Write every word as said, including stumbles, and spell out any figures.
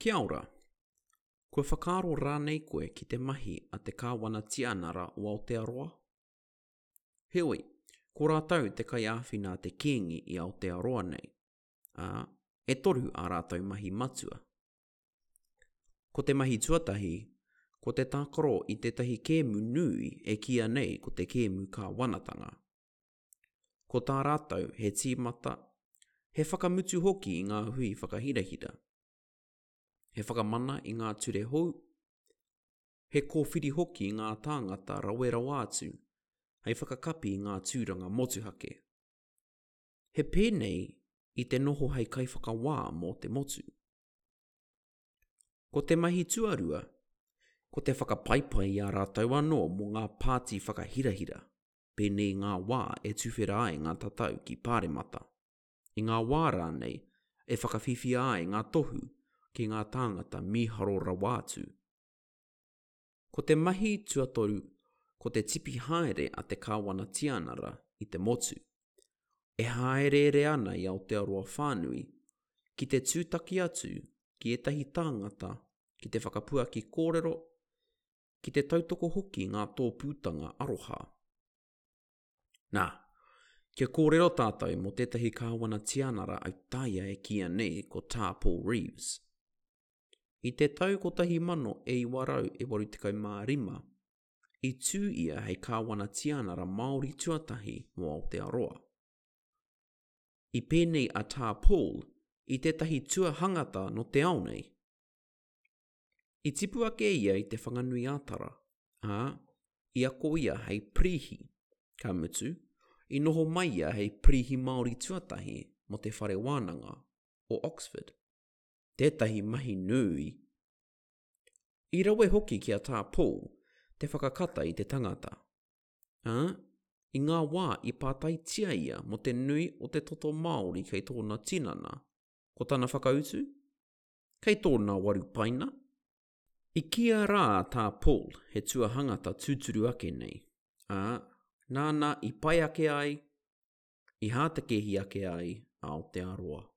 Kia ora. Kua whakaaro rānei koe ki te mahi a te Kāwana Tianara o Aotearoa? Heoi, ko rātou te kaiāwhina a te Kīngi i Aotearoa nei, ā, e toru ā rātou mahi matua. Ko te mahi tuatahi, ko te tākaro i tētahi kēmu nui e kīia nei ko te kēmu kāwanatanga. Ko tā rātou he tīmata, he whakamutu hoki i ngā hui whakahirahira. He whakamana i ngā ture hou, he kōwhiri hoki i ngā tāngata rawe rawa atu hei whakakapi i ngā tūranga motuhake. He pēnei i te noho hei kaiwhakawā mō te motu. Ko te mahi tuarua, ko te whakapaipai i a rātou anō mō ngā pāti whakahirahira, pēnei i ngā wā e tuwhera ai ngā tatau ki Pāremata, i ngā wā rānei e whakawhiwhia ai ngā tohu ki ngā tāngata mīharo rawa atu. Ko te mahi tuatoru, ko te tipi haere a te Kāwana Tianara i te motu. E hāereere ana i Aotearoa whānui, ki te tūtaki atu ki ētahi tāngata ki te whakapuaki kōrero, ki te tautoko hoki i ngā tōpūtanga aroha. Nā, kia kōrero tātou mō tētahi Kāwana Tianara autaia e kīia nei ko Tā Paul Reeves. I te tau kotahi mano e iwa rau e waru tekau mā rima, i tū ia hei Kāwana Tianara Māori tuatahi mō Aotearoa. I pēnei a Tā Paul i tētahi tuahangata nō te ao nei. I tipu ake ia i Te Whanganui-a-Tara, ā, i ako ia hei pirīhi, ka mutu, i noho mai ia hei pirīhi Māori tuatahi mō te Whare Wānanga o Oxford. Tētahi mahi nui! I rawe hoki ki a Tā Paul te whakakata i te tangata. Ā, i ngā wā i pātaitia ia mō te nui o te toto Māori kei tōna tinana, ko tana whakautu? Kei tōna waru paina. I kīia rā a Tā Paul he tuahangata tūturu ake nei, ā, nāna i pai ake ai, i hātakēhi ake ai a Aotearoa.